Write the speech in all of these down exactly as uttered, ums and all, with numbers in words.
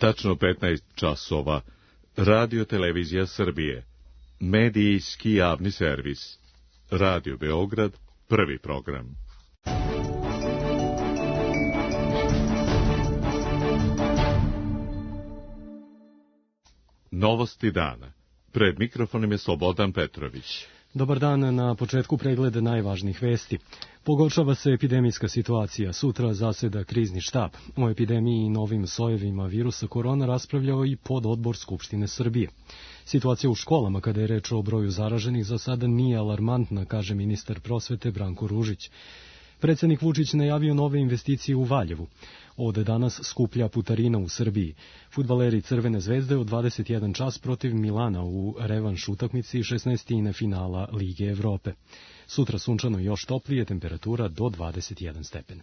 tačno petnaest časova. Radio Televizija Srbije. Medijski javni servis. Radio Beograd, prvi program. Novosti dana. Pred mikrofonom je Slobodan Petrović. Dobar dan, na početku pregleda najvažnijih vesti. Pogoršava se epidemijska situacija. Sutra zaseda krizni štab. O epidemiji i novim sojevima virusa korona raspravljao i pododbor Skupštine Srbije. Situacija u školama, kada je reč o broju zaraženih, za sada nije alarmantna, kaže ministar prosvete Branko Ružić. Predsednik Vučić najavio nove investicije u Valjevu. Od danas skuplja putarina u Srbiji. Fudbaleri Crvene zvezde od dvadeset jedan čas protiv Milana u revanš utakmici šesnaestine finala Lige Evrope. Sutra sunčano još toplije, temperatura do dvadeset jedan stepen.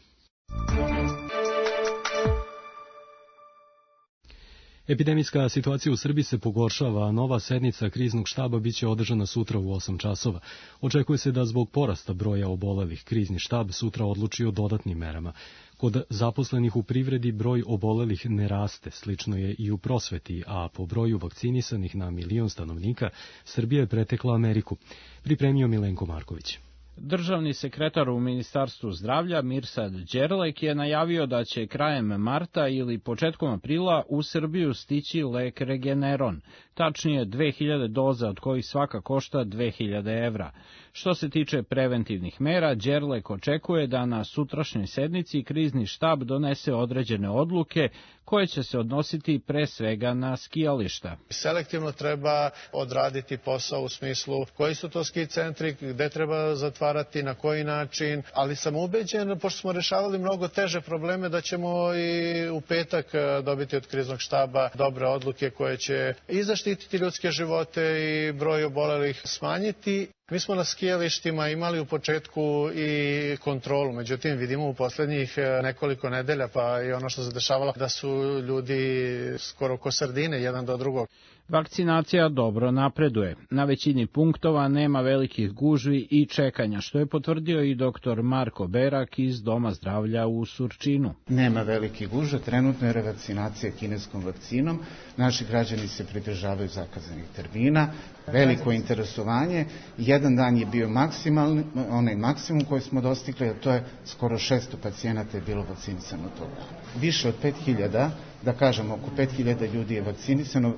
Epidemijska situacija u Srbiji se pogoršava, a nova sednica kriznog štaba biće održana sutra u osam časova. Očekuje se da zbog porasta broja obolelih krizni štab sutra odluči o dodatnim merama. Kod zaposlenih u privredi broj obolelih ne raste, slično je i u prosveti, a po broju vakcinisanih na milion stanovnika Srbija je pretekla Ameriku. Pripremio Milenko Marković. Državni sekretar u Ministarstvu zdravlja Mirsad Đerlek je najavio da će krajem marta ili početkom aprila u Srbiju stići lek Regeneron, tačnije dve hiljade doza od kojih svaka košta dve hiljade evra. Što se tiče preventivnih mera, Đerlek očekuje da na sutrašnjoj sednici krizni štab donese određene odluke koje će se odnositi pre svega na skijališta. Selektivno treba odraditi posao u smislu koji su to ski centri, gde treba zatvarati, na koji način, ali sam ubeđen, pošto smo rešavali mnogo teže probleme, da ćemo i u petak dobiti od kriznog štaba dobre odluke koje će i zaštititi ljudske živote i broj obolelih smanjiti. Mi smo na skijalištima imali u početku i kontrolu, međutim vidimo u poslednjih nekoliko nedelja, pa i ono što se dešavalo, da su ljudi skoro ko sardine jedan do drugog. Vakcinacija dobro napreduje. Na većini punktova nema velikih gužvi i čekanja, što je potvrdio i doktor Marko Berak iz Doma zdravlja u Surčinu. Nema velikih gužva, trenutno je revakcinacija kineskom vakcinom. Naši građani se pridržavaju zakazanih termina, veliko interesovanje. Jedan dan je bio maksimalni, onaj maksimum koji smo dostigli, a to je skoro šesto pacijenata je bilo vakcinisano toga. Više od pet hiljada, da kažemo oko pet hiljada ljudi je vakcinisano,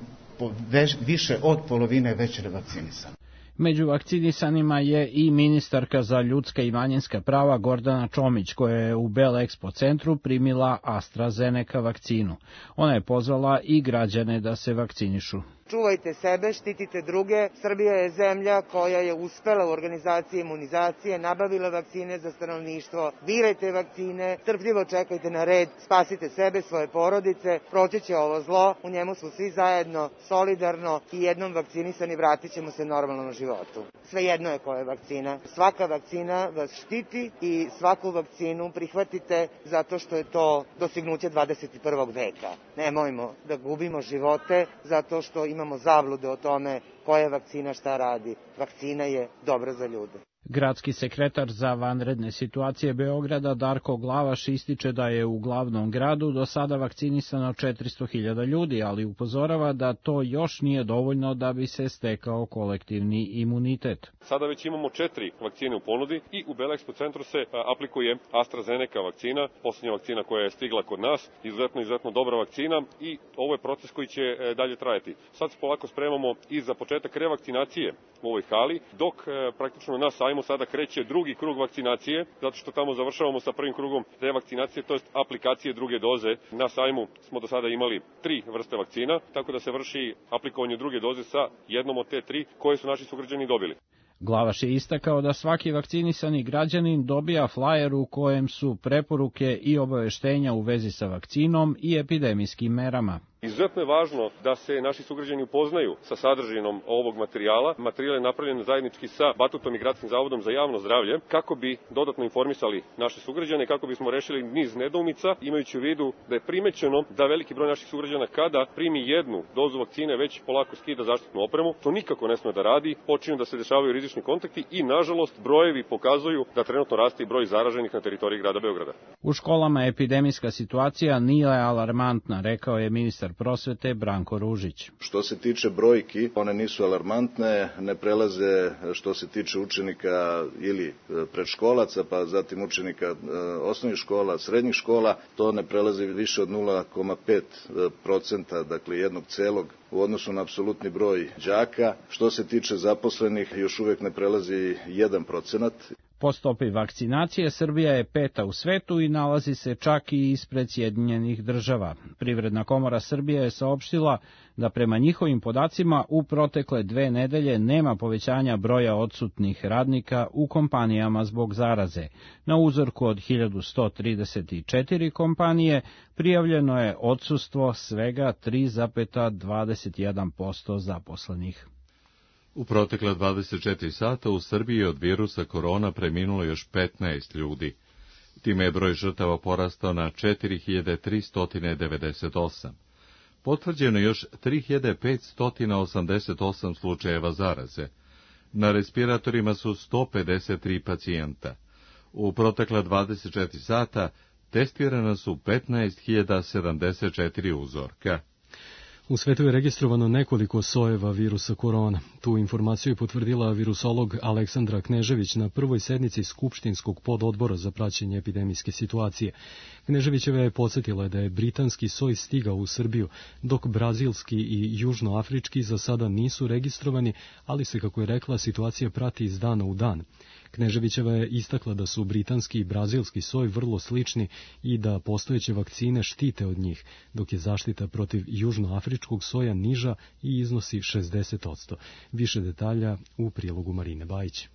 više od polovine je već revakcinisano. Među vakcinisanima je i ministarka za ljudska i manjinska prava Gordana Čomić, koja je u Belexpo centru primila AstraZeneca vakcinu. Ona je pozvala i građane da se vakcinišu. Čuvajte sebe, štitite druge. Srbija je zemlja koja je uspela u organizaciji imunizacije, nabavila vakcine za stanovništvo. Birajte vakcine, strpljivo čekajte na red, spasite sebe, svoje porodice, proći će ovo zlo, u njemu su svi zajedno, solidarno i jednom vakcinisani vratit ćemo se normalnom životu. Svejedno je koja je vakcina. Svaka vakcina vas štiti i svaku vakcinu prihvatite zato što je to dostignuće dvadeset prvog veka. Nemojmo da gubimo živote zato što imamo zablude o tome koja vakcina šta radi. Vakcina je dobra za ljude. Gradski sekretar za vanredne situacije Beograda Darko Glavaš ističe da je u glavnom gradu do sada vakcinisano četiristo hiljada ljudi, ali upozorava da to još nije dovoljno da bi se stekao kolektivni imunitet. Sada već imamo četiri vakcine u ponudi i u Belexpo centru se aplikuje AstraZeneca vakcina, poslednja vakcina koja je stigla kod nas, izuzetno, izuzetno dobra vakcina i ovo je proces koji će dalje trajati. Sad se polako spremamo i za početak revakcinacije u ovoj hali, dok praktično na sajmu sada kreće drugi krug vakcinacije, zato što tamo završavamo sa prvim krugom revakcinacije, to jest aplikacije druge doze. Na sajmu smo do sada imali tri vrste vakcina, tako da se vrši aplikovanje druge doze sa jednom od te tri koje su naši sugrađani dobili. Glavaš je istakao da svaki vakcinisani građanin dobija flajer u kojem su preporuke i obaveštenja u vezi sa vakcinom i epidemijskim merama. Izuzetno je važno da se naši sugrađani upoznaju sa sadržinom ovog materijala. Materijal je napravljen zajednički sa Batutom i Gradskim zavodom za javno zdravlje, kako bi dodatno informisali naše sugrađane, kako bismo rešili niz nedoumica, imajući u vidu da je primećeno da veliki broj naših sugrađana kada primi jednu dozu vakcine već polako skida zaštitnu opremu. To nikako ne sme da radi, počinju da se dešavaju rizični kontakti i, nažalost, brojevi pokazuju da trenutno raste i broj zaraženih na teritoriji grada Beograda. U školama epidemijska situacija nije alarmantna, rekao je ministar ministar prosvete Branko Ružić. Što se tiče brojki, one nisu alarmantne, ne prelaze što se tiče učenika ili predškolaca, pa zatim učenika osnovnih škola, srednjih škola, to ne prelazi više od nula zarez pet procenta, dakle jednog celog u odnosu na apsolutni broj đaka. Što se tiče zaposlenih, još uvek ne prelazi jedan procenat. Po stopi vakcinacije Srbija je peta u svetu i nalazi se čak i ispred Sjedinjenih država. Privredna komora Srbije je saopštila da prema njihovim podacima u protekle dve nedelje nema povećanja broja odsutnih radnika u kompanijama zbog zaraze. Na uzorku od hiljadu sto trideset četiri kompanije prijavljeno je odsustvo svega tri zarez dvadeset jedan posto zaposlenih. U protekle dvadeset četiri sata u Srbiji od virusa korona preminulo još petnaest ljudi. Time je broj žrtava porastao na četiri hiljade tristo devedeset osam. Potvrđeno još tri hiljade petsto osamdeset osam slučajeva zaraze. Na respiratorima su sto pedeset tri pacijenta. U protekle dvadeset četiri sata testirana su petnaest hiljada sedamdeset četiri uzorka. U svetu je registrovano nekoliko sojeva virusa korona. Tu informaciju je potvrdila virusolog Aleksandra Knežević na prvoj sednici Skupštinskog pododbora za praćenje epidemijske situacije. Kneževićeva je podsjetila da je britanski soj stigao u Srbiju, dok brazilski i južnoafrički za sada nisu registrovani, ali se, kako je rekla, situacija prati iz dana u dan. Kneževićeva je istakla da su britanski i brazilski soj vrlo slični i da postojeće vakcine štite od njih, dok je zaštita protiv južnoafričkog soja niža i iznosi šezdeset posto. Više detalja u prilogu Marine Bajić.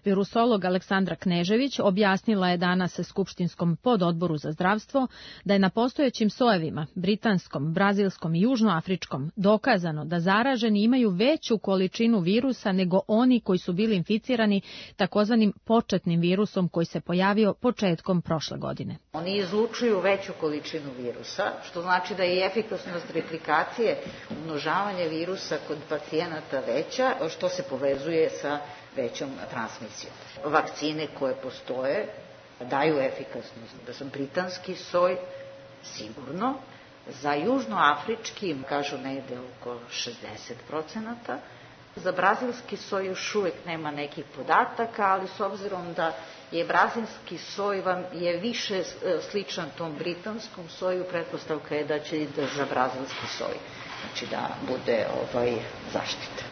Virusolog Aleksandra Knežević objasnila je danas Skupštinskom pododboru za zdravstvo da je na postojećim sojevima, britanskom, brazilskom i južnoafričkom, dokazano da zaraženi imaju veću količinu virusa nego oni koji su bili inficirani takozvanim početnim virusom koji se pojavio početkom prošle godine. Oni izlučuju veću količinu virusa, što znači da je efikasnost replikacije, umnožavanje virusa kod pacijenata veća, što se povezuje sa većom transmisijom. Vakcine koje postoje daju efikasnost za britanski soj sigurno, za južnoafrički kažu negde oko šezdeset procenata, za brazilski soj još uvek nema nekih podataka, ali s obzirom da je brazilski soj vam je više sličan tom britanskom soju, pretpostavka je da će i da za brazilski soj, znači da bude ovaj zaštita.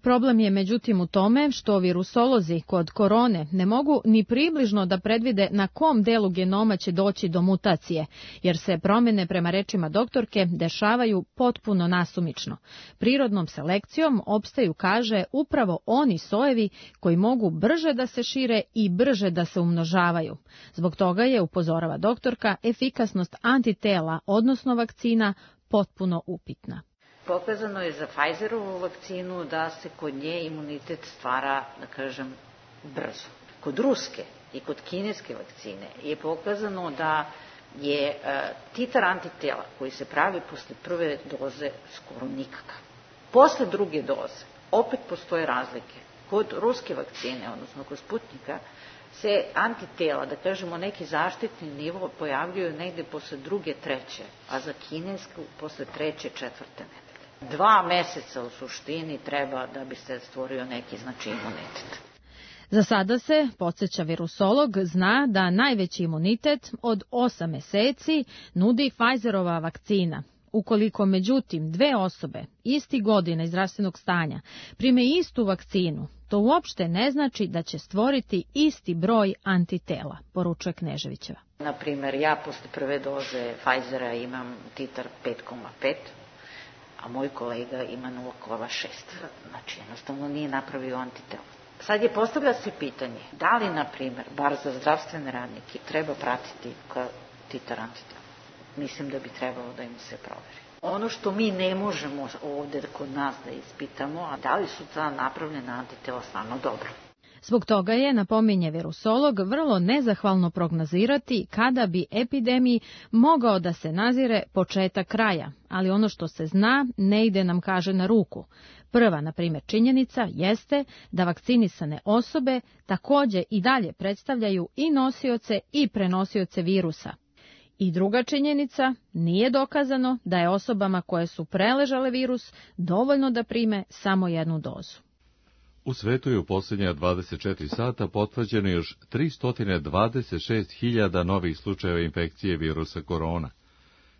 Problem je međutim u tome što virusolozi kod korone ne mogu ni približno da predvide na kom delu genoma će doći do mutacije, jer se promjene, prema rečima doktorke, dešavaju potpuno nasumično. Prirodnom selekcijom opstaju, kaže, upravo oni sojevi koji mogu brže da se šire i brže da se umnožavaju. Zbog toga je, upozorava doktorka, efikasnost antitela, odnosno vakcina, potpuno upitna. Pokazano je za Pfizerovu vakcinu da se kod nje imunitet stvara, da kažem, brzo. Kod ruske i kod kineske vakcine je pokazano da je e, titar antitela koji se pravi posle prve doze skoro nikakav. Posle druge doze opet postoje razlike. Kod ruske vakcine, odnosno kod Sputnika, se antitela, da kažemo neki zaštitni nivo, pojavljuju negde posle druge, treće, a za kinesku posle treće, četvrte nedelje. Dva meseca u suštini treba da bi se stvorio neki znači imunitet. Za sada se, podsjeća virusolog, zna da najveći imunitet od osam meseci nudi Pfizerova vakcina. Ukoliko međutim dve osobe isti godine zdravstvenog stanja prime istu vakcinu, to uopšte ne znači da će stvoriti isti broj antitela, poručuje Kneževićeva. Naprimer, ja posle prve doze Pfizera imam titar pet zarez pet, a moj kolega ima nula zarez šest. Znači, jednostavno nije napravio antitela. Sad je postavlja se pitanje, da li, na primjer, bar za zdravstvene radnike, treba pratiti titar antitela? Mislim da bi trebalo da im se proveri. Ono što mi ne možemo ovde kod nas da ispitamo, a da li su ta napravljena antitela stvarno dobro. Zbog toga je, napominje virusolog, vrlo nezahvalno prognozirati kada bi epidemiji mogao da se nazire početak kraja, ali ono što se zna ne ide nam, kaže, na ruku. Prva, na primjer, činjenica jeste da vakcinisane osobe takođe i dalje predstavljaju i nosioce i prenosioce virusa. I druga činjenica, nije dokazano da je osobama koje su preležale virus dovoljno da prime samo jednu dozu. U svetu je u posljednja dvadeset četiri sata potvrđeno još tristo dvadeset šest hiljada novih slučajeva infekcije virusa korona.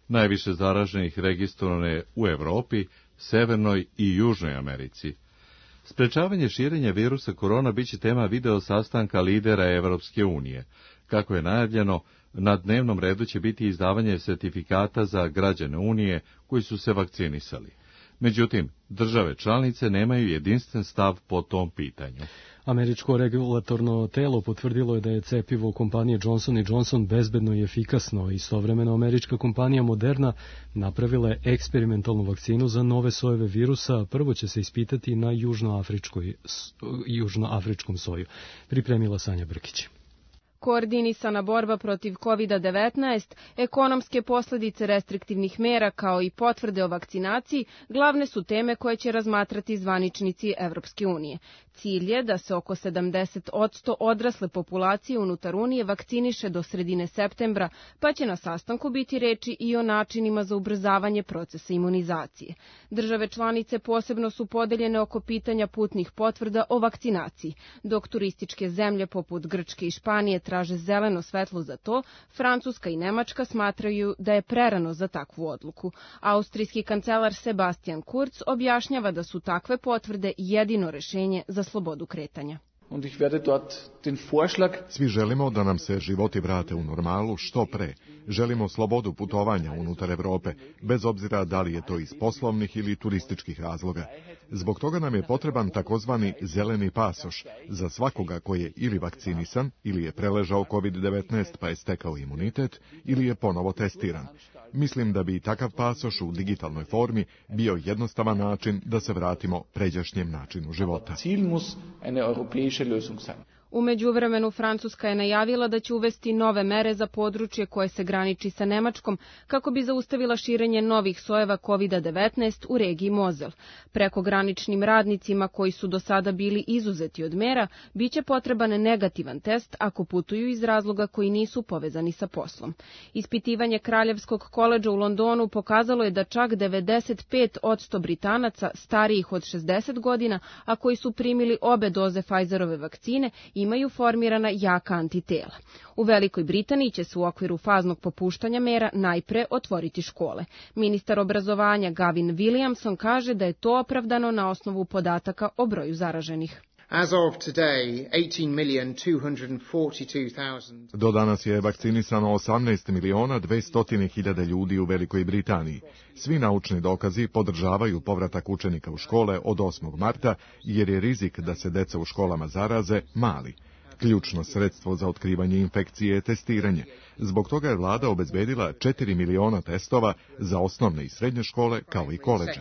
Najviše zaraženih registrovano je u Evropi, Severnoj i Južnoj Americi. Sprečavanje širenja virusa korona biće tema video sastanka lidera Evropske unije. Kako je najavljeno, na dnevnom redu će biti izdavanje sertifikata za građane Unije koji su se vakcinisali. Međutim, države članice nemaju jedinstven stav po tom pitanju. Američko regulatorno telo potvrdilo je da je cepivo kompanije Johnson and Johnson bezbedno i efikasno. Istovremeno američka kompanija Moderna napravila je eksperimentalnu vakcinu za nove sojeve virusa. Prvo će se ispitati na južnoafričkom soju. Pripremila Sanja Brkić. Koordinisana borba protiv kovid devetnaest, ekonomske posljedice restriktivnih mera kao i potvrde o vakcinaciji glavne su teme koje će razmatrati zvaničnici Evropske unije. Cilj je da se oko sedamdeset posto odrasle populacije unutar Unije vakciniše do sredine septembra, pa će na sastanku biti reči i o načinima za ubrzavanje procesa imunizacije. Države članice posebno su podeljene oko pitanja putnih potvrda o vakcinaciji. Dok turističke zemlje poput Grčke i Španije traže zeleno svetlo za to, Francuska i Nemačka smatraju da je prerano za takvu odluku. Austrijski kancelar Sebastian Kurz objašnjava da su takve potvrde jedino rešenje za slobodu kretanja. Svi želimo da nam se životi vrate u normalu što pre. Želimo slobodu putovanja unutar Evrope, bez obzira da li je to iz poslovnih ili turističkih razloga. Zbog toga nam je potreban takozvani zeleni pasoš za svakoga koji je ili vakcinisan, ili je preležao kovid devetnaest pa je stekao imunitet, ili je ponovo testiran. Mislim da bi takav pasoš u digitalnoj formi bio jednostavan način da se vratimo pređašnjem načinu života. U međuvremenu Francuska je najavila da će uvesti nove mere za područje koje se graniči sa Nemačkom kako bi zaustavila širenje novih sojeva kovid devetnaest u regiji Mozel. Prekograničnim radnicima koji su do sada bili izuzeti od mera biće potreban negativan test ako putuju iz razloga koji nisu povezani sa poslom. Ispitivanje Kraljevskog koledža u Londonu pokazalo je da čak devedeset pet posto Britanaca starijih od šezdeset godina, a koji su primili obe doze Pfizerove vakcine, imaju formirana jaka antitela. U Velikoj Britaniji će se u okviru faznog popuštanja mera najpre otvoriti škole. Ministar obrazovanja Gavin Williamson kaže da je to opravdano na osnovu podataka o broju zaraženih. Do danas je vakcinisano osamnaest miliona dvesta hiljada ljudi u Velikoj Britaniji. Svi naučni dokazi podržavaju povratak učenika u škole od osmog marta, jer je rizik da se deca u školama zaraze mali. Ključno sredstvo za otkrivanje infekcije je testiranje. Zbog toga je vlada obezbedila četiri miliona testova za osnovne i srednje škole kao i koledže.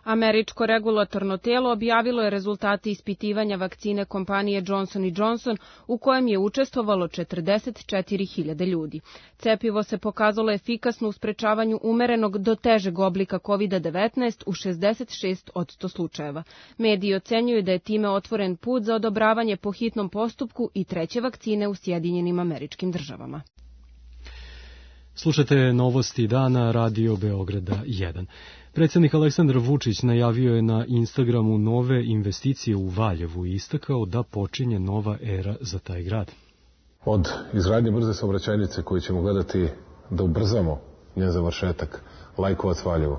Američko regulatorno telo objavilo je rezultate ispitivanja vakcine kompanije Johnson and Johnson u kojem je učestvovalo četrdeset četiri hiljade ljudi. Cepivo se pokazalo efikasno u sprečavanju umerenog do težeg oblika kovid devetnaest u šezdeset šest posto slučajeva. Mediji ocenjuju da je time otvoren put za odobravanje po hitnom postupku i treće vakcine u Sjedinjenim Američkim Državama. Slušate novosti dana Radio Beograda jedan. Predsjednik Aleksandar Vučić najavio je na Instagramu nove investicije u Valjevu i istakao da počinje nova era za taj grad. Od izgradnje brze saobraćajnice koju ćemo gledati da ubrzamo njen završetak, Lajkovac-Valjevo.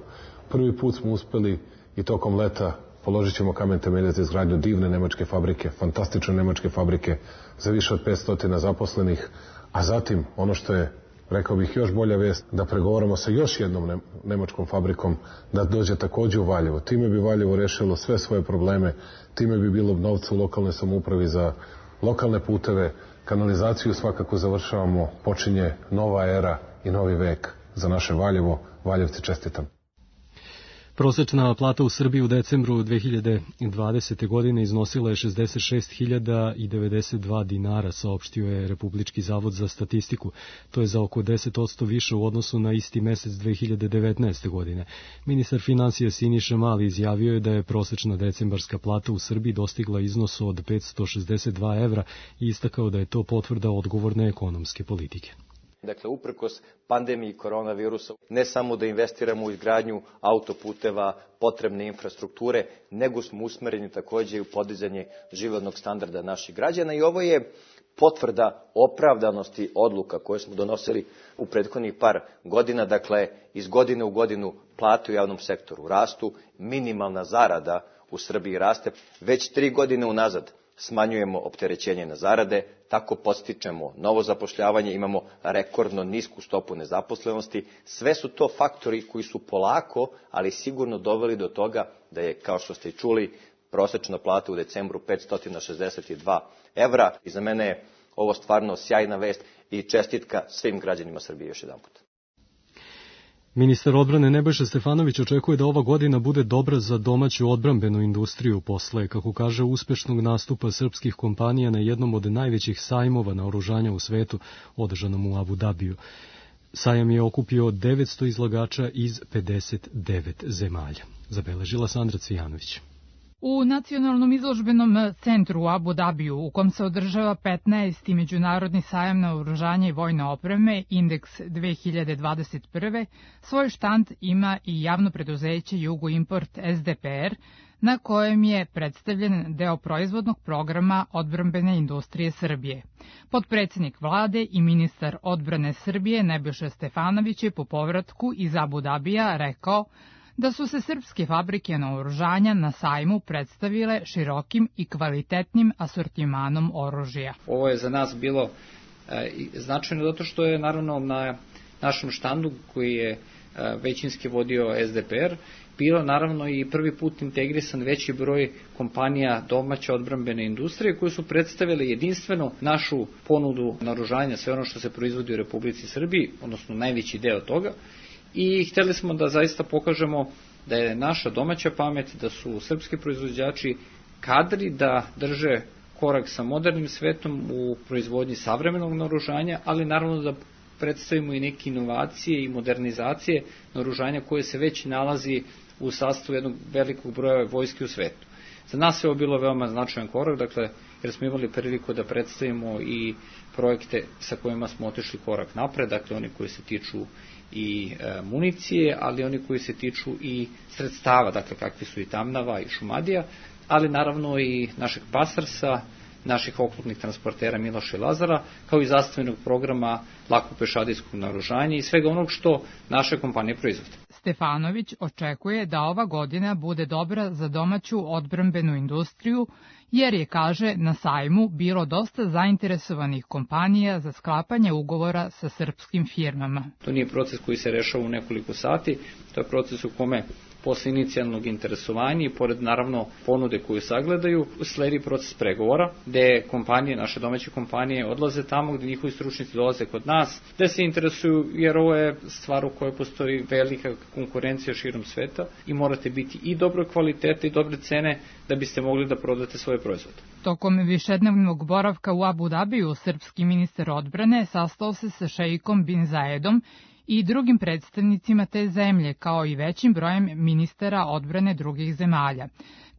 Prvi put smo uspeli i tokom leta položit ćemo kamen temeljac za izgradnju divne nemačke fabrike, fantastične nemačke fabrike za više od petsto zaposlenih, a zatim ono što je, rekao bih, još bolja vest, da pregovaramo sa još jednom nemačkom fabrikom da dođe takođe u Valjevo. Time bi Valjevo rešilo sve svoje probleme, time bi bilo novca u lokalnoj samoupravi za lokalne puteve, kanalizaciju svakako završavamo, počinje nova era i novi vek za naše Valjevo. Valjevci, čestitam. Prosečna plata u Srbiji u decembru dve hiljade dvadesete. godine iznosila je šezdeset šest hiljada devedeset dva dinara, saopštio je Republički zavod za statistiku. To je za oko deset posto više u odnosu na isti mesec dve hiljade devetnaeste. godine. Ministar finansija Siniša Mali izjavio je da je prosečna decembarska plata u Srbiji dostigla iznos od petsto šezdeset dva evra i istakao da je to potvrda odgovorne ekonomske politike. Dakle, uprkos pandemiji koronavirusa, ne samo da investiramo u izgradnju autoputeva, potrebne infrastrukture, nego smo usmereni takođe i u podizanje životnog standarda naših građana i ovo je potvrda opravdanosti odluka koje smo donosili u prethodnih par godina. Dakle, iz godine u godinu plate u javnom sektoru rastu, minimalna zarada u Srbiji raste, već tri godine unazad smanjujemo opterećenje na zarade, tako podstičemo novo zapošljavanje, imamo rekordno nisku stopu nezaposlenosti. Sve su to faktori koji su polako, ali sigurno doveli do toga da je, kao što ste i čuli, prosečna plata u decembru petsto šezdeset dva evra. I za mene je ovo stvarno sjajna vest i čestitka svim građanima Srbije još jedan put. Ministar odbrane Nebojša Stefanović očekuje da ova godina bude dobra za domaću odbrambenu industriju posle, kako kaže, uspešnog nastupa srpskih kompanija na jednom od najvećih sajmova naoružanja u svetu, održanom u Abu Dabiju. Sajam je okupio devetsto izlagača iz pedeset devet zemalja. Zabeležila Sandra Cvijanović. U Nacionalnom izložbenom centru u Abu Dabiju, u kom se održava petnaesti međunarodni sajam naoružanja i vojne opreme, Indeks dve hiljade dvadeset prve. svoj štand ima i javno preduzeće Jugoimport S D P R, na kojem je predstavljen deo proizvodnog programa odbrambene industrije Srbije. Potpredsednik vlade i ministar odbrane Srbije Nebojša Stefanović je po povratku iz Abu Dabija rekao da su se srpske fabrike naoružanja na sajmu predstavile širokim i kvalitetnim asortimanom oružja. Ovo je za nas bilo e, značajno zato što je naravno na našem štandu koji je e, većinski vodio S D P R bilo naravno i prvi put integrisan veći broj kompanija domaće odbrambene industrije koji su predstavile jedinstveno našu ponudu naoružanja, sve ono što se proizvodi u Republici Srbiji, odnosno najveći deo toga. I hteli smo da zaista pokažemo da je naša domaća pamet, da su srpski proizvođači kadri da drže korak sa modernim svetom u proizvodnji savremenog naoružanja, ali naravno da predstavimo i neke inovacije i modernizacije naoružanja koje se već nalazi u sastavu jednog velikog broja vojske u svetu. Za nas je ovo bilo veoma značajan korak, dakle, jer smo imali priliku da predstavimo i projekte sa kojima smo otišli korak napred, dakle oni koji se tiču i e, municije, ali oni koji se tiču i sredstava, dakle kakvi su i Tamnava i Šumadija, ali naravno i našeg Pasarsa, naših oklopnih transportera Miloša i Lazara, kao i zastavenog programa lakopešadijskog naoružanja i svega onog što naše kompanije proizvode. Stefanović očekuje da ova godina bude dobra za domaću odbrambenu industriju, jer je, kaže, na sajmu bilo dosta zainteresovanih kompanija za sklapanje ugovora sa srpskim firmama. To nije proces koji se rešava u nekoliko sati, to je proces u kome posle inicijalnog interesovanja i pored naravno ponude koju sagledaju, sledi proces pregovora, gde kompanije, naše domaće kompanije odlaze tamo gde njihovi stručnici dolaze kod nas, gde se interesuju, jer ovo je stvar u kojoj postoji velika konkurencija širom sveta i morate biti i dobro kvalitete i dobre cene da biste mogli da prodate svoje proizvode. Tokom višednevnog boravka u Abu Dabiju, srpski ministar odbrane sastao se sa šeikom Bin Zaedom i drugim predstavnicima te zemlje, kao i većim brojem ministara odbrane drugih zemalja.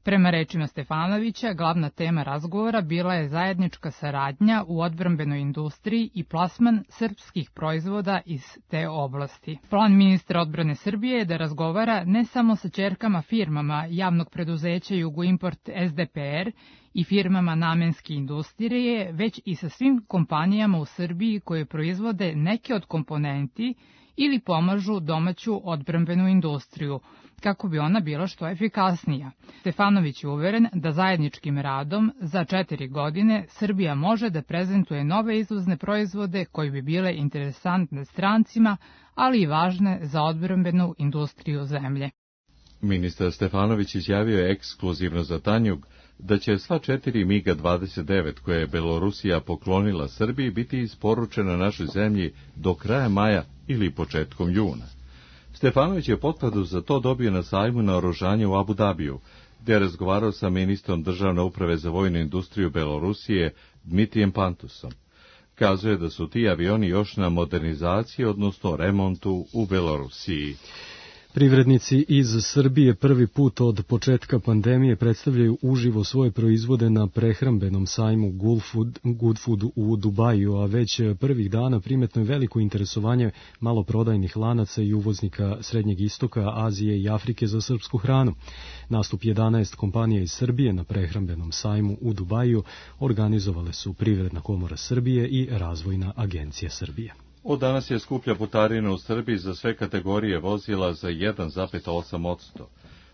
Prema rečima Stefanovića, glavna tema razgovora bila je zajednička saradnja u odbrambenoj industriji i plasman srpskih proizvoda iz te oblasti. Plan ministra odbrane Srbije je da razgovara ne samo sa ćerkama firmama javnog preduzeća Jugoimport S D P R i firmama namenske industrije, već i sa svim kompanijama u Srbiji koje proizvode neke od komponenti ili pomažu domaću odbrambenu industriju, kako bi ona bila što efikasnija. Stefanović je uveren da zajedničkim radom za četiri godine Srbija može da prezentuje nove izvozne proizvode koji bi bile interesantne strancima, ali i važne za odbrambenu industriju zemlje. Ministar Stefanović izjavio je ekskluzivno za Tanjug da će sva četiri MiG dvadeset devet koje je Belorusija poklonila Srbiji biti isporučena našoj zemlji do kraja maja ili početkom juna. Stefanović je potvrdu za to dobio na sajmu naoružanja u Abu Dabiju, gde je razgovarao sa ministrom državne uprave za vojnu industriju Belorusije Dmitrijem Pantusom. Kazuje da su ti avioni još na modernizaciji, odnosno remontu u Belorusiji. Privrednici iz Srbije prvi put od početka pandemije predstavljaju uživo svoje proizvode na prehrambenom sajmu Good Food u Dubaju, a već prvih dana primetno je veliko interesovanje maloprodajnih lanaca i uvoznika Srednjeg istoka, Azije i Afrike za srpsku hranu. Nastup jedanaest kompanija iz Srbije na prehrambenom sajmu u Dubaju organizovale su Privredna komora Srbije i Razvojna agencija Srbije. Od danas je skuplja putarina u Srbiji za sve kategorije vozila za jedan zarez osam posto.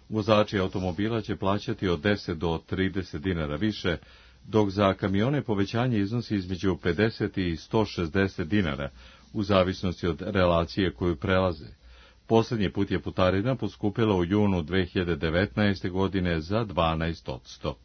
Vozači automobila će plaćati od deset do trideset dinara više, dok za kamione povećanje iznosi između pedeset i sto šezdeset dinara, u zavisnosti od relacije koju prelaze. Poslednji put je putarina poskupila u junu dve hiljade devetnaeste. godine za dvanaest posto.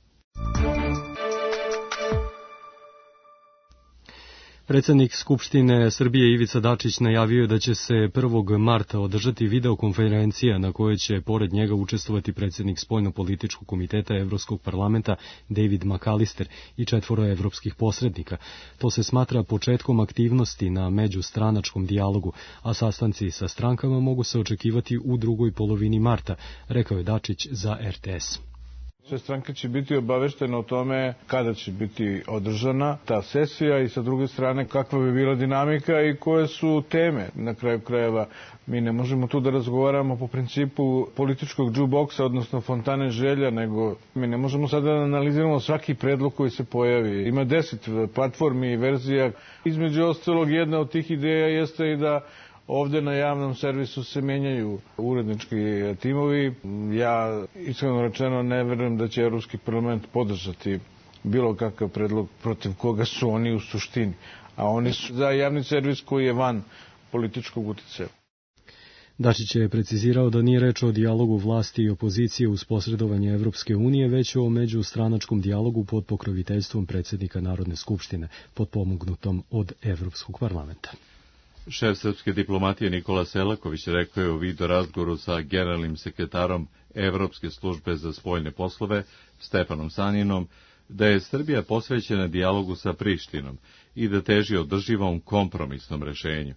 Predsednik Skupštine Srbije Ivica Dačić najavio je da će se prvog marta održati videokonferencija na kojoj će pored njega učestvovati predsednik Spoljnopolitičkog komiteta Evropskog parlamenta David McAllister i četvoro evropskih posrednika. To se smatra početkom aktivnosti na međustranačkom dijalogu, a sastanci sa strankama mogu se očekivati u drugoj polovini marta, rekao je Dačić za R T S. Sve stranke će biti obaveštene o tome kada će biti održana ta sesija i sa druge strane kakva bi bila dinamika i koje su teme. Na kraju krajeva mi ne možemo tu da razgovaramo po principu političkog džuboksa, odnosno fontane želja, nego mi ne možemo sada da analiziramo svaki predlog koji se pojavi. Ima deset platformi i verzija. Između ostalog, jedna od tih ideja jeste i da ovde na javnom servisu se menjaju urednički timovi. Ja, iskreno rečeno, ne verujem da će Evropski parlament podržati bilo kakav predlog protiv koga su oni u suštini. A oni su za javni servis koji je van političkog uticaja. Dačić je precizirao da nije reč o dijalogu vlasti i opozicije uz posredovanje Evropske unije, već o međustranačkom dijalogu pod pokroviteljstvom predsednika Narodne skupštine, potpomognutom od Evropskog parlamenta. Šef srpske diplomatije Nikola Selaković rekao je u video razgovoru sa generalnim sekretarom Evropske službe za spoljne poslove Stefanom Saninom da je Srbija posvećena dijalogu sa Prištinom i da teži održivom kompromisnom rešenju.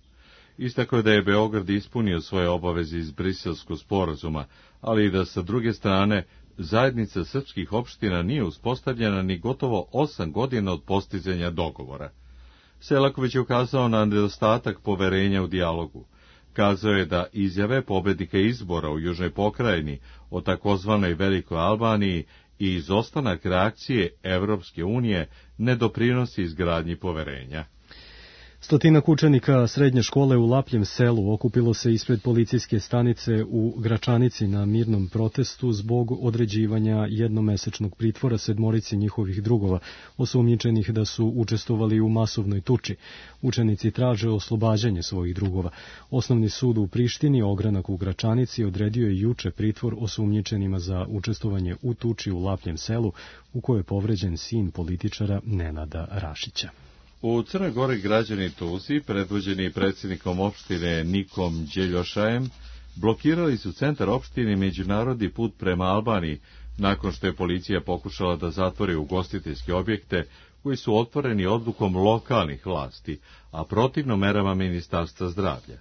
Istakao je da je Beograd ispunio svoje obaveze iz Briselskog sporazuma, ali i da sa druge strane zajednica srpskih opština nije uspostavljena ni gotovo osam godina od postizanja dogovora. Selaković je ukazao na nedostatak poverenja u dijalogu. Kazao je da izjave pobednika izbora u Južnoj pokrajini o takozvanoj Velikoj Albaniji i izostanak reakcije Evropske unije ne doprinosi izgradnji poverenja. Stotinak učenika srednje škole u Lapljem selu okupilo se ispred policijske stanice u Gračanici na mirnom protestu zbog određivanja jednomesečnog pritvora sedmorici njihovih drugova, osumnjičenih da su učestvovali u masovnoj tuči. Učenici traže oslobađanje svojih drugova. Osnovni sud u Prištini, ogranak u Gračanici, odredio je juče pritvor osumnjičenima za učestvovanje u tuči u Lapljem selu, u kojoj je povređen sin političara Nenada Rašića. U Crnoj Gori građani Tusi, predvođeni predsjednikom opštine Nikom Đeljošajem, blokirali su centar opštine međunarodni put prema Albaniji, nakon što je policija pokušala da zatvori ugostiteljske objekte koji su otvoreni odlukom lokalnih vlasti, a protivno merama Ministarstva zdravlja.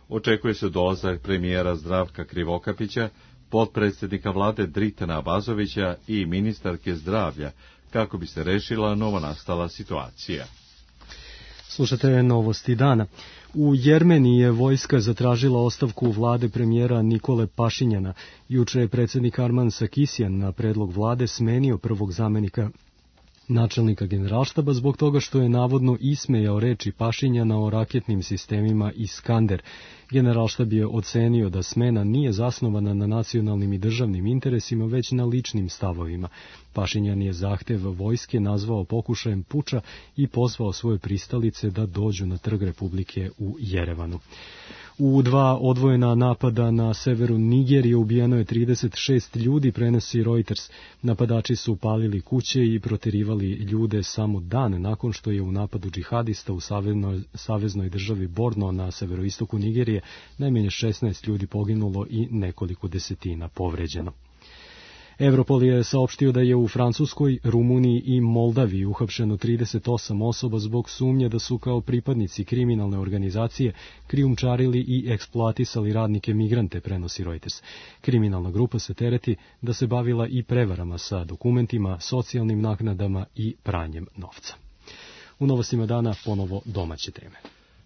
Očekuje se dolazak premijera Zdravka Krivokapića, potpredsjednika vlade Dritana Abazovića i ministarke zdravlja, kako bi se rešila novonastala situacija. Slušate novosti dana. U Jermeniji je vojska zatražila ostavku vlade premijera Nikole Pašinjana. Juče je predsjednik Arman Sarkisjan na predlog vlade smenio prvog zamenika načelnika generalštaba zbog toga što je navodno ismejao reči Pašinjana o raketnim sistemima Iskander. Generalštab je ocenio da smena nije zasnovana na nacionalnim i državnim interesima, već na ličnim stavovima. Pašinjan je zahtev vojske nazvao pokušajem puča i pozvao svoje pristalice da dođu na trg Republike u Jerevanu. U dva odvojena napada na severu Nigerije ubijeno je trideset šest ljudi, prenosi Reuters. Napadači su palili kuće i proterivali ljude samo dan nakon što je u napadu džihadista u saveznoj, saveznoj državi Borno na severoistoku Nigerije najmanje šesnaest ljudi poginulo i nekoliko desetina povređeno. Europol je saopštio da je u Francuskoj, Rumuniji i Moldaviji uhapšeno trideset osam osoba zbog sumnje da su kao pripadnici kriminalne organizacije krijumčarili i eksploatisali radnike migrante, prenosi Reuters. Kriminalna grupa se tereti da se bavila i prevarama sa dokumentima, socijalnim naknadama i pranjem novca. U novostima dana ponovo domaće teme.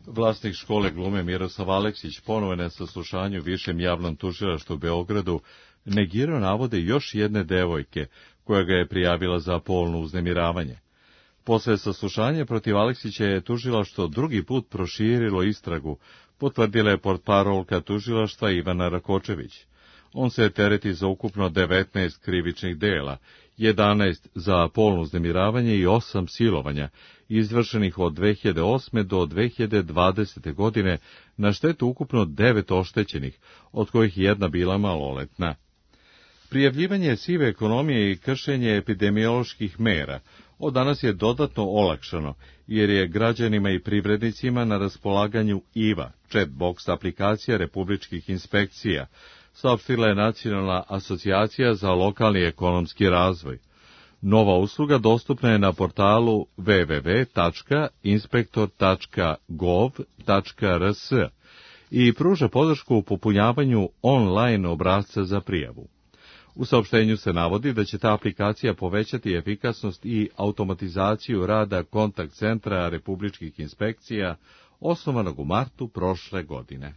Vlasnik škole glume Miroslav Aleksić ponovo na saslušanju višem javnom tužilaštvu u Beogradu negirao navode još jedne devojke koja ga je prijavila za polno uznemiravanje. Posle saslušanja protiv Aleksića je tužilaštvo drugi put proširilo istragu, potvrdila je portparolka tužilaštva Ivana Rakočević. On se tereti za ukupno devetnaest krivičnih dela, jedanaest za polno uznemiravanje i osam silovanja, izvršenih od dve hiljade osme do dve hiljade dvadesete. godine na štetu ukupno devet oštećenih, od kojih jedna bila maloletna. Prijavljivanje sive ekonomije i kršenje epidemioloških mera od danas je dodatno olakšano, jer je građanima i privrednicima na raspolaganju I V A, chatbox aplikacija republičkih inspekcija, saopštila je Nacionalna asocijacija za lokalni ekonomski razvoj. Nova usluga dostupna je na portalu w w w tačka inspektor tačka gov tačka r s i pruža podršku u popunjavanju online obrasca za prijavu. U saopštenju se navodi da će ta aplikacija povećati efikasnost i automatizaciju rada kontakt centra republičkih inspekcija, osnovanog u martu prošle godine.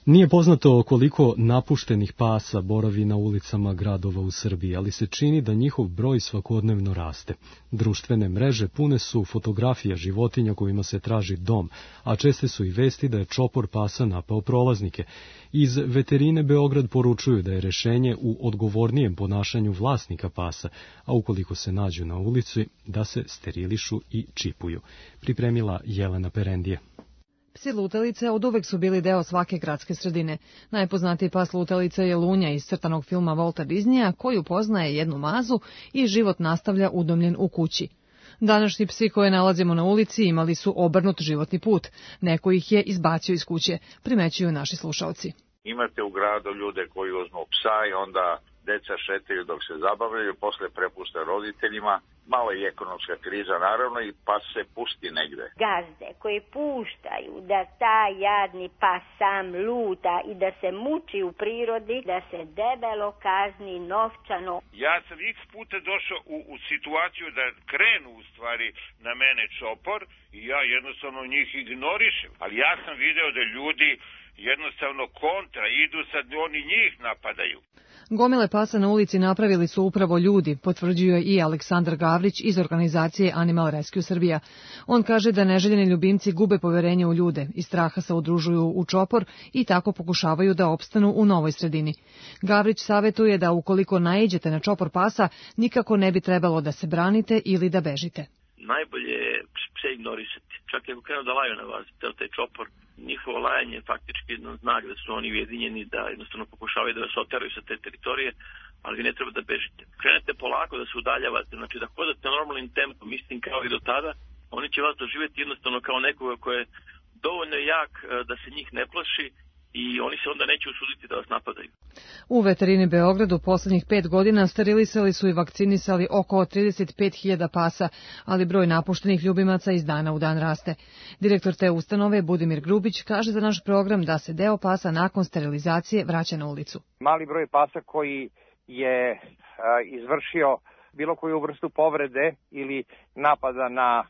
Nije poznato koliko napuštenih pasa boravi na ulicama gradova u Srbiji, ali se čini da njihov broj svakodnevno raste. Društvene mreže pune su fotografija životinja kojima se traži dom, a česte su i vesti da je čopor pasa napao prolaznike. Iz veterine Beograd poručuju da je rešenje u odgovornijem ponašanju vlasnika pasa, a ukoliko se nađu na ulici, da se sterilišu i čipuju. Pripremila Jelena Perendije. Psi lutalice oduvek su bili deo svake gradske sredine. Najpoznatiji pas lutalica je Lunja iz crtanog filma Walta Disneya, koju poznaje jednu mazu i život nastavlja udomljen u kući. Današnji psi koje nalazimo na ulici imali su obrnut životni put. Neko ih je izbacio iz kuće, primećuju naši slušalci. Imate u gradu ljude koji uzmu psa i onda deca šetaju dok se zabavljaju, posle prepuste roditeljima. Malo je ekonomska kriza, naravno, i pas se pusti negde. Gazde koji puštaju da taj jadni pas sam luta i da se muči u prirodi, da se debelo kazni novčano. Ja sam x puta došao u, u situaciju da krenu u stvari na mene čopor i ja jednostavno njih ignorišem. Ali ja sam video da ljudi jednostavno kontra idu, sad oni njih napadaju. Gomile pasa na ulici napravili su upravo ljudi, potvrđuje i Aleksandar Gavrić iz organizacije Animal Rescue Srbija. On kaže da neželjeni ljubimci gube poverenje u ljude, iz straha se udružuju u čopor i tako pokušavaju da opstanu u novoj sredini. Gavrić savetuje da ukoliko naiđete na čopor pasa, nikako ne bi trebalo da se branite ili da bežite. Najbolje je pse ignorisati. Čak i ako krenu da laju na vas, ceo taj čopor, njihovo lajanje je faktički jedan znak da su oni ujedinjeni, da jednostavno pokušavaju da vas oteraju sa te teritorije, ali vi ne treba da bežite. Krenete polako da se udaljavate, znači da hodate normalnim tempom, mislim kao i do tada, oni će vas doživjeti jednostavno kao nekoga ko je dovoljno jak da se njih ne plaši i oni se onda neće usuditi da vas napadaju. U veterini Beogradu poslednjih pet godina sterilisali su i vakcinisali oko trideset pet hiljada pasa, ali broj napuštenih ljubimaca iz dana u dan raste. Direktor te ustanove Budimir Grubić kaže za naš program da se deo pasa nakon sterilizacije vraća na ulicu. Mali broj pasa koji je a, izvršio bilo koju vrstu povrede ili napada na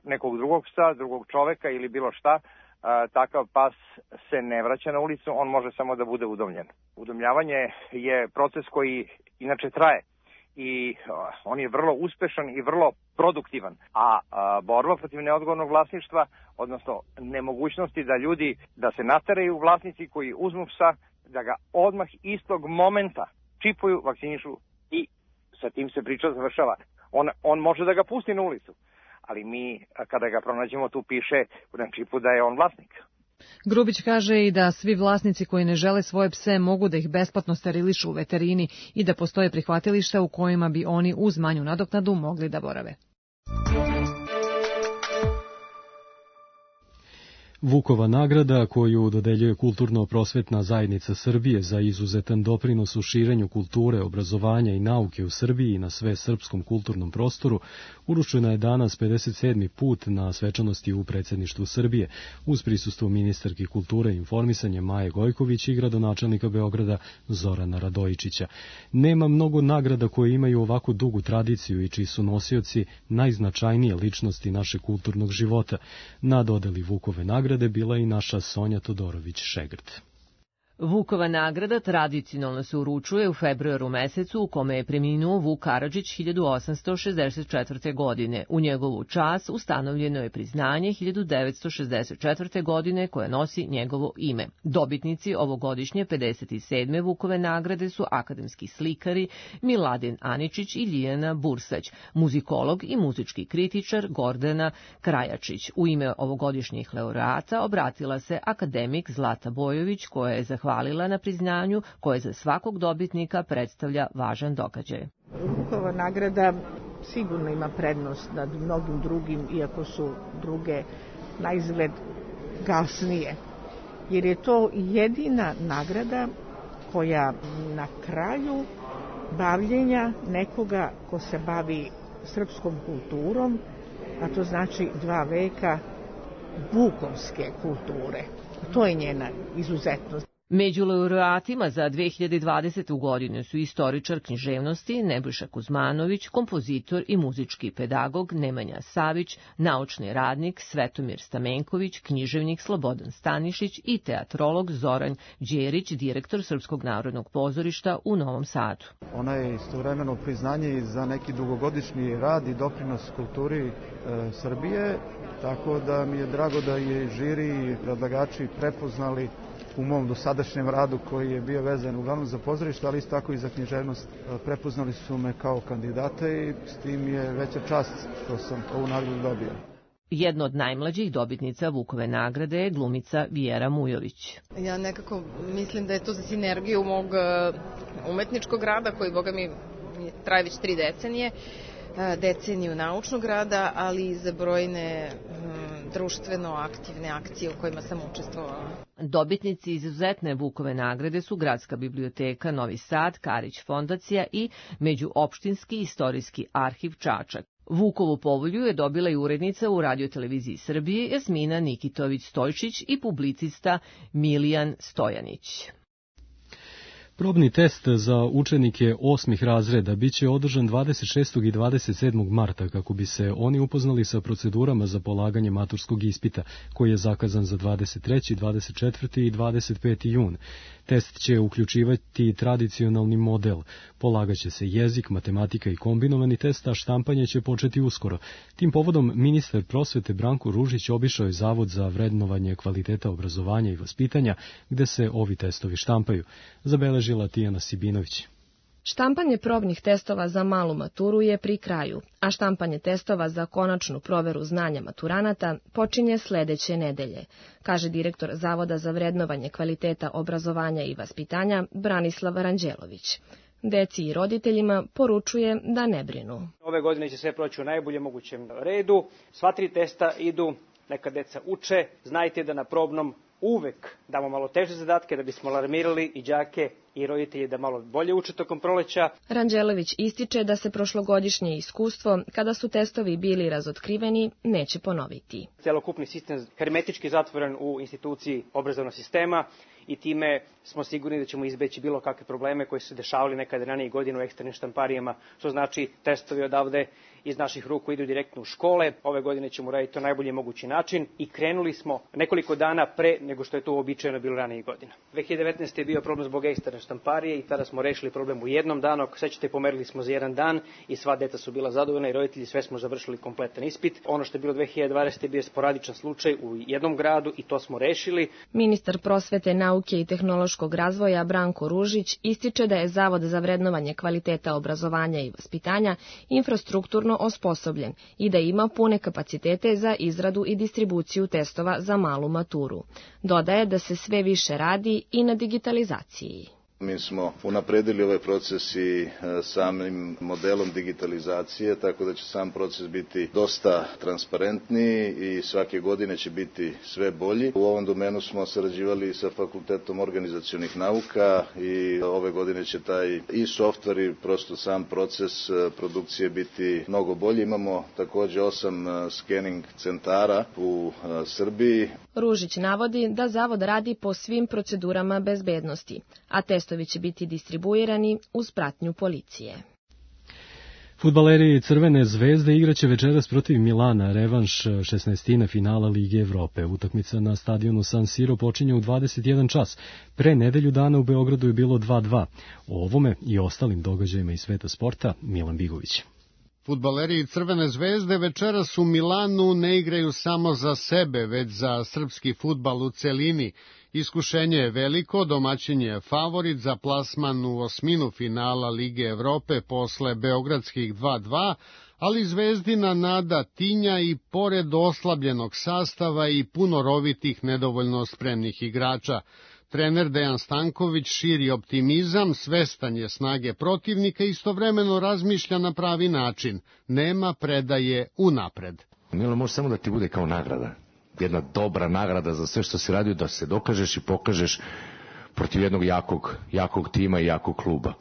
nekog drugog psa, drugog čoveka ili bilo šta, takav pas se ne vraća na ulicu, on može samo da bude udomljen. Udomljavanje je proces koji inače traje i on je vrlo uspešan i vrlo produktivan. A borba protiv neodgovornog vlasništva, odnosno nemogućnosti da ljudi, da se nateraju vlasnici koji uzmu psa, da ga odmah istog momenta čipuju, vakcinišu i sa tim se priča završava. On, on može da ga pusti na ulicu, ali mi, kada ga pronađemo, tu piše na čipu da je on vlasnik. Grubić kaže i da svi vlasnici koji ne žele svoje pse mogu da ih besplatno sterilišu u veterini i da postoje prihvatilišta u kojima bi oni uz manju nadoknadu mogli da borave. Vukova nagrada, koju dodeljuje Kulturno-prosvetna zajednica Srbije za izuzetan doprinos u širenju kulture, obrazovanja i nauke u Srbiji i na sve srpskom kulturnom prostoru, uručena je danas pedeset sedmi put na svečanosti u predsjedništvu Srbije, uz prisustvo ministarke kulture i informisanja Maje Gojković i gradonačelnika Beograda Zorana Radojičića. Nema mnogo nagrada koje imaju ovako dugu tradiciju i čiji su nosioci najznačajnije ličnosti našeg kulturnog života. Na dodeli Vukove nagrade bila i naša Sonja Todorović-Šegrt. Vukova nagrada tradicionalno se uručuje u februaru mesecu u kome je preminuo Vuk Karadžić hiljadu osamsto šezdeset četvrte. godine. U njegovu čast ustanovljeno je priznanje hiljadu devetsto šezdeset četvrte. godine koje nosi njegovo ime. Dobitnici ovogodišnje pedeset sedme Vukove nagrade su akademski slikari Miladin Aničić i Lijana Bursać, muzikolog i muzički kritičar Gordana Krajačić. U ime ovogodišnjih laureata obratila se akademik Zlata Bojović, koja je zahvalila hvalila na priznanju koje za svakog dobitnika predstavlja važan događaj. Vukova nagrada sigurno ima prednost nad mnogim drugim, iako su druge na izgled gasnije, jer je to jedina nagrada koja na kraju bavljenja nekoga ko se bavi srpskom kulturom, a to znači dva veka vukovske kulture. To je njena izuzetnost. Među laureatima za dve hiljade dvadesetu. godinu su istoričar književnosti Nebojša Kuzmanović, kompozitor i muzički pedagog Nemanja Savić, naučni radnik Svetomir Stamenković, književnik Slobodan Stanišić i teatrolog Zoran Đerić, direktor Srpskog narodnog pozorišta u Novom Sadu. Ona je istovremeno priznanje za neki dugogodišnji rad i doprinos kulturi e, Srbije, tako da mi je drago da je žiri i predlagači prepoznali u mom dosadašnjem radu koji je bio vezan uglavnom za pozorište, ali isto tako i za književnost. Prepoznali su me kao kandidata i s tim je veća čast što sam ovu nagradu dobio. Jedna od najmlađih dobitnica Vukove nagrade je glumica Vijera Mujović. Ja nekako mislim da je to za sinergiju mog umetničkog rada, koji, boga mi, traje već tri decenije, deceniju naučnog rada, ali i za brojne društveno aktivne akcije u kojima sam učestvovala. Dobitnici izuzetne Vukove nagrade su Gradska biblioteka Novi Sad, Karić fondacija i Međuopštinski istorijski arhiv Čačak. Vukovu povolju je dobila i urednica u Radioteleviziji Srbije Jasmina Nikitović-Stojčić i publicista Milijan Stojanić. Probni test za učenike osmih razreda biće održan dvadeset šestog i dvadeset sedmog marta kako bi se oni upoznali sa procedurama za polaganje maturskog ispita, koji je zakazan za dvadeset treći, dvadeset četvrti i dvadeset peti jun. Test će uključivati tradicionalni model. Polagaće se jezik, matematika i kombinovani test, a štampanje će početi uskoro. Tim povodom ministar prosvete Branko Ružić obišao je Zavod za vrednovanje kvaliteta obrazovanja i vaspitanja, gde se ovi testovi štampaju. Zabeležila Tijana Sibinović. Štampanje probnih testova za malu maturu je pri kraju, a štampanje testova za konačnu proveru znanja maturanata počinje sledeće nedelje, kaže direktor Zavoda za vrednovanje kvaliteta obrazovanja i vaspitanja Branislav Ranđelović. Deci i roditeljima poručuje da ne brinu. Ove godine će sve proći u najboljem mogućem redu. Sva tri testa idu, neka deca uče. Znajte da na probnom uvek damo malo teže zadatke da bismo alarmirali i đake i roditelji da malo bolje uče tokom proleća. Ranđelović ističe da se prošlogodišnje iskustvo, kada su testovi bili razotkriveni, neće ponoviti. Celokupni sistem hermetički zatvoren u instituciji obrazovnog sistema i time smo sigurni da ćemo izbeći bilo kakve probleme koje su se dešavali nekada ranije godine u eksternim štamparijama, što znači testovi odavde iz naših ruku idu direktno u škole. Ove godine ćemo raditi to na najbolji mogući način i krenuli smo nekoliko dana pre nego što je to uobičajeno bilo ranije godina. dve hiljade devetnaeste. je bio problem zbog eksterne štamparije i tada smo rešili problem u jednom danu. Ako sećate, pomerili smo za jedan dan i sva deca su bila zadovoljna i roditelji, sve smo završili kompletan ispit. Ono što je bilo dve hiljade dvadesete. bio sporadičan slučaj u jednom gradu i to smo rešili. Ministar prosvete, nauke i tehnološkog razvoja Branko Ružić ističe da je Zavod za vrednovanje kvaliteta obrazovanja i vaspitanja infrastrukturno osposobljen i da ima pune kapacitete za izradu i distribuciju testova za malu maturu. Dodaje da se sve više radi i na digitalizaciji. Mi smo unapredili ovaj proces i samim modelom digitalizacije, tako da će sam proces biti dosta transparentniji i svake godine će biti sve bolji. U ovom domenu smo sarađivali sa Fakultetom organizacionih nauka i ove godine će taj i softver i prosto sam proces produkcije biti mnogo bolji. Imamo takođe osam skening centara u Srbiji. Ružić navodi da Zavod radi po svim procedurama bezbednosti, a testovi će biti distribuirani uz pratnju policije. Fudbaleri Crvene zvezde igraće večeras protiv Milana, revanš šesnaestine finala Lige Evrope. Utakmica na stadionu San Siro počinje u dvadeset jedan čas. Pre nedelju dana u Beogradu je bilo dva dva. O ovome i ostalim događajima iz sveta sporta Milan Bigović. Fudbaleri Crvene zvezde večeras u Milanu ne igraju samo za sebe, već za srpski fudbal u celini. Iskušenje je veliko, domaćin je favorit za plasman u osminu finala Lige Evrope posle beogradskih dva dva, ali Zvezdina nada tinja i pored oslabljenog sastava i puno rovitih nedovoljno spremnih igrača. Trener Dejan Stanković širi optimizam, svestan je snage protivnika i istovremeno razmišlja na pravi način. Nema predaje unapred. Milo, može samo da ti bude kao nagrada. Jedna dobra nagrada za sve što si radio, da se dokažeš i pokažeš protiv jednog jakog, jakog tima i jakog kluba.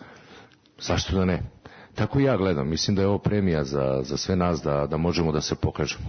Zašto da ne? Tako ja gledam. Mislim da je ovo premija za, za sve nas da, da možemo da se pokažemo.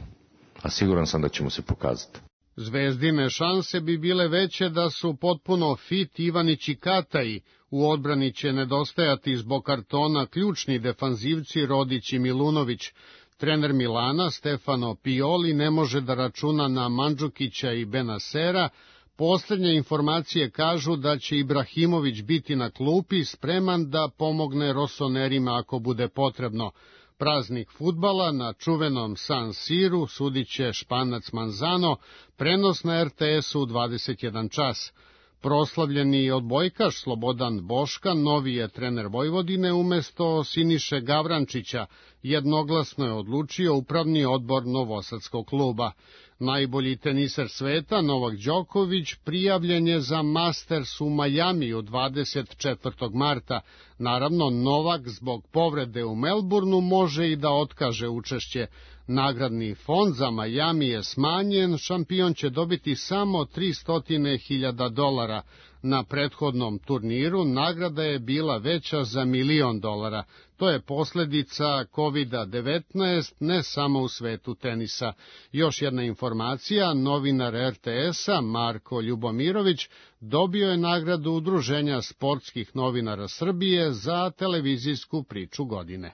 A siguran sam da ćemo se pokazati. Zvezdine šanse bi bile veće da su potpuno fit Ivanić i Kataji. U odbrani će nedostajati zbog kartona ključni defanzivci Rodić i Milunović. Trener Milana, Stefano Pioli, ne može da računa na Mandžukića i Benasera. Poslednje informacije kažu da će Ibrahimović biti na klupi, spreman da pomogne rosonerima ako bude potrebno. Praznik fudbala na čuvenom San Siru sudit će Španac Manzano, prenos na er te esu u dvadeset jedan čas. Proslavljeni odbojkaš Slobodan Boška, novi je trener Vojvodine umesto Siniše Gavrančića, jednoglasno je odlučio upravni odbor Novosadskog kluba. Najbolji teniser sveta, Novak Đoković, prijavljen je za Masters u Majamiju dvadeset četvrtog marta. Naravno, Novak zbog povrede u Melbourneu može i da otkaže učešće. Nagradni fond za Majami je smanjen, šampion će dobiti samo tristo hiljada dolara. Na prethodnom turniru nagrada je bila veća za milion dolara. To je posljedica kovid devetnaest, ne samo u svetu tenisa. Još jedna informacija, novinar er te esa Marko Ljubomirović dobio je nagradu Udruženja sportskih novinara Srbije za televizijsku priču godine.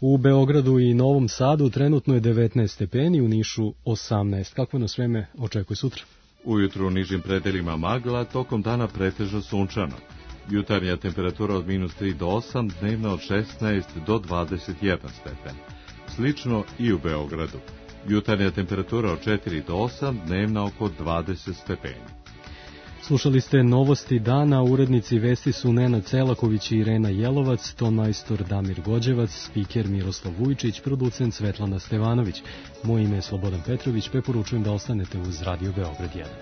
U Beogradu i Novom Sadu trenutno je devetnaest stepeni, u Nišu osamnaest. Kako nas vreme očekuje sutra? Ujutru u nižim predelima magla, tokom dana pretežno sunčano. Jutarnja temperatura od minus tri do osam, dnevna od šesnaest do dvadeset jedan stepen. Slično i u Beogradu. Jutarnja temperatura od četiri do osam, dnevna oko dvadeset stepeni. Slušali ste novosti dana, urednici vesti su Nenad Celaković i Irena Jelovac, tonmajstor Damir Gođevac, spiker Miroslav Vujčić, producent Svetlana Stevanović. Moje ime je Slobodan Petrović, preporučujem da ostanete uz Radio Beograd jedan.